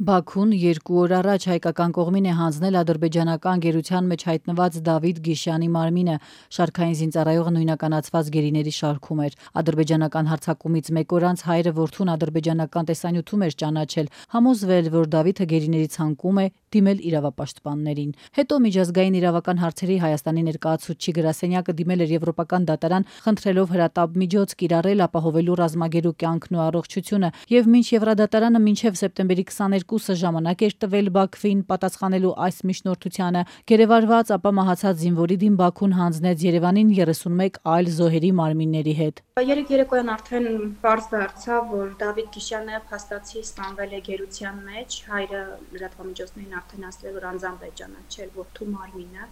Բաքուն 2 օր առաջ հայկական կողմին է հանձնել ադրբեջանական գերության մեջ հայտնված Դավիթ Գիշյանի մարմինը, շարքային զինծառայողը նույնականացված գերիների շարքում էր։ Ադրբեջանական հարձակումից մեկ օր անց հայրը որդուն ադրբեջանական տեսանյութում էր ճանաչել, համոզվել, որ Դավիթը գերիների ցանկում է դիմել իրավապաշտպաններին։ Հետո միջազգային իրավական հարցերի Հայաստանի ներկայացուցիչ գրասենյակը դիմել էր Եվրոպական դատարան, խնդրելով հրատապ միջոց կիրառել ապահովելու ռազմագերու կյանքն ու առողջությունը, եւ մինչ Եվրադատարանը մինչև սեպտեմբերի 22-ը ժամանակ էր տվել Բաքվին պատասխանելու այս միջնորդությանը, գերեվարված ապա մահացած զինվորի դեմ Բաքուն հանձնեց Երևանին 31 այլ զոհերի մարմինների հետ։ Երեկ երեկոյան արդեն պարզ դարձավ, որ Դավիթ Գիշյանը փաստացի սպանվել է գերության մեջ, հայրը լրատվամիջոցներին արդեն ասել, որ անձամբ է ճանաչել որդու մարմինը։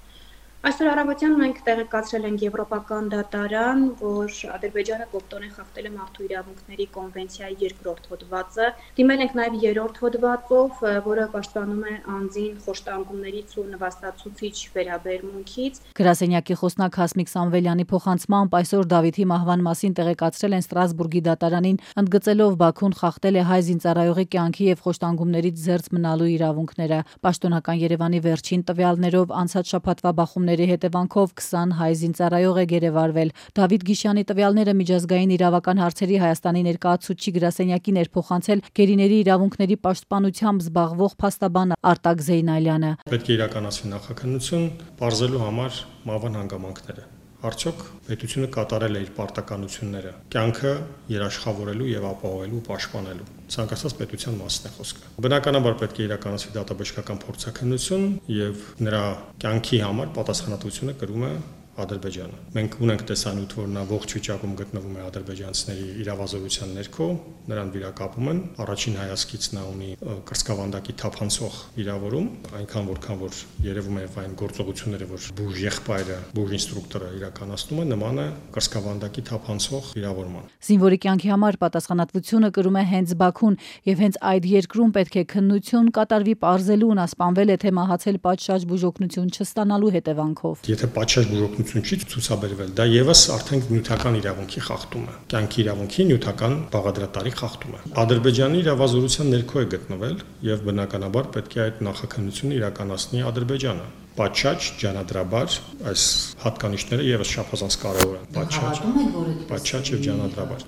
Այսօր առավոտյան մենք տեղեկացրել ենք Եվրոպական դատարան, որ Ադրբեջանը կոպտորեն խախտել է մարդու իրավունքների կոնվենցիայի 2-րդ հոդվածը։ Դիմել ենք նաև 3-րդ հոդվածով, որը պաշտպանում է անձին խոշտանգումներից ու նվաստացուցիչ վերաբերմունքից։ Գրասենյակի խոսնակ Հասմիկ Սամվելյանի փոխանցմամբ այսօր Դավիթի մահվան մասին տեղեկացրել են Ստրասբուրգի դատարանին, ընդգծելով Բաքուն խախտել է հայ զինծառայողի կյանքի եւ խոշտանգումներից զերծ մնալու իրավունքները։ Պաշտոնական Երևանի վերջին տվյալներով անցած շաբաթվա բախումների հետևանքով 20 հայ զինծառայող է գերեվարվել։ Դավիթ Գիշյանի տվյալները միջազգային իրավական հարցերի Հայաստանի ներկայացուցիչ գրասենյակին էր փոխանցել գերիների իրավունքների պաշտպանությամբ զբաղվող փաստաբան Արտակ Զեյնալյանը։ Պետք է իրականացվի նախաքննություն, բարձելու համար մահվան հանգամանքները։ Արդյոք պետությունը կատարել է իր պարտականությունները կյանքը երաշխավորելու եւ ապահովելու պաշտպանելու ցանկացած պետության մասն է խոսքը։ Բնականաբար պետք է իրականացվի դատաբժշկական փորձաքննություն եւ նրա կյանքի համար պատասխանատվությունը կրում է Ադրբեջանը։ Մենք ունենք տեսանյութ, որ նա ողջ վիճակում գտնվում է ադրբեջանցիների իրավազորության ներքո, նրան վիրակապում են։ Առաջին հայացքից նա ունի կրծքավանդակի թափանցող վիրավորում, այնքան որքան որ երևում է այն գործողությունները, որ բուժ եղբայրը, բուժ ինստրուկտորը իրականացնում է, նման է կրծքավանդակի թափանցող վիրավորման։ Զինվորի կյանքի համար պատասխանատվությունը կրում է հենց Բաքուն, եւ հենց այդ երկրում պետք է քննություն կատարվի պարզելու նա սպանվել է թե մահացել պատշաճ բուժօգնություն չստանալու հետևանքով։ Եթե պատշաճ բուժօգնություն չի ցուցաբերվել, դա եւս արդեն նյութական իրավունքի խախտում է, կյանքի իրավունքի նյութական բաղադրատարի խախտում է։ Ադրբեջանի իրավազորության ներքո է գտնվել եւ բնականաբար պետք է այդ նախաքննությունը իրականացնի Ադրբեջանը։ Պատշաճ, ջանադրաբար այս հատկանիշները եւս չափազանց կարեւոր են։ Պատշաճ եւ ջանադրաբար։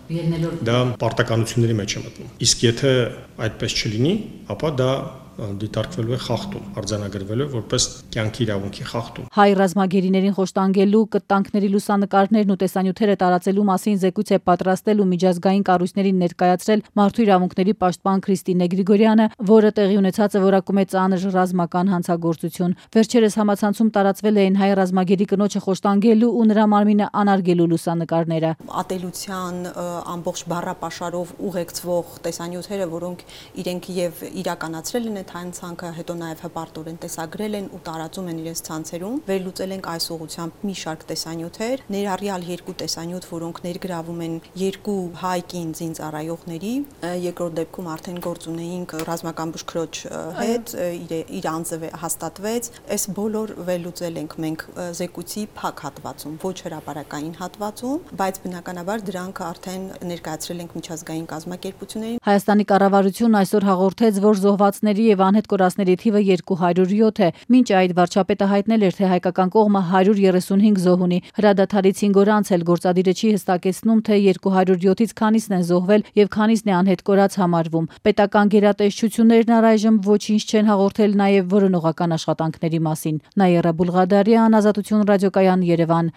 Դա պարտականությունների մեջ է մտնում։ Իսկ եթե այդպես չլինի, ապա դա դիտարկվելու է խախտում, արձանագրվելու որպես կյանքի իրավունքի խախտում։ Հայ ռազմագերիներին խոշտանգելու, կտանքների լուսանկարներն ու տեսանյութերը տարածելու մասին զեկույց է պատրաստել ու միջազգային կառույցներին ներկայացրել մարդու իրավունքների պաշտպան Քրիստինե Գրիգորյանը, որը տեղի ունեցածը որակում է ծանր ռազմական հանցագործություն։ Վերջերս համացանցում տարածվել էին հայ ռազմագերի կնոջը խոշտանգելու ու նրա մարմինը անարգելու լուսանկարները։ Ատելության ամբողջ բառապաշարով ուղեկցվող տեսանյութերը, որոնք իրենք եւ իրականացրել են հանցանքը, հետո նաև հպարտորեն տեսագրել են ու տարածում են իրենց ցանցերում։ Վերլուծել ենք այս ուղղությամբ մի շարք տեսանյութեր, ներառյալ 2 տեսանյութ, որոնք ներգրավում են 2 հայ կին զինծառայողների, երկրորդ դեպքում արդեն գործ ունեինք ռազմական բուժքրոջ հետ, իր անձը հաստատվեց։ Այս բոլոր վերլուծել ենք մենք զեկույցի փակ հատվածում, ոչ հրապարակային հատվածում, բայց բնականաբար դրանք արդեն ներկայացրել ենք միջազգային կազմակերպություններին։ Հայաստանի կառավարությունն այսօր հաղորդեց, որ զոհվածների եւ անհետ կորածների թիվը 207 է։ Մինչ այդ վարչապետը հայտնել էր, թե հայկական կողմը 135 զոհ ունի։ Հրադադարից 5 օր անց էլ գործադիրը չի հստակեցնում, թե 207-ից քանիսն են զոհվել եւ քանիսն է անհետ կորած համարվում։ Պետական գերատեսչություններն առայժմ ոչինչ չեն հաղորդել նաեւ որոնողական աշխատանքների մասին։ Նաիրա Բուլղադարյան, Ազատություն ռադիոկայան, Երևան։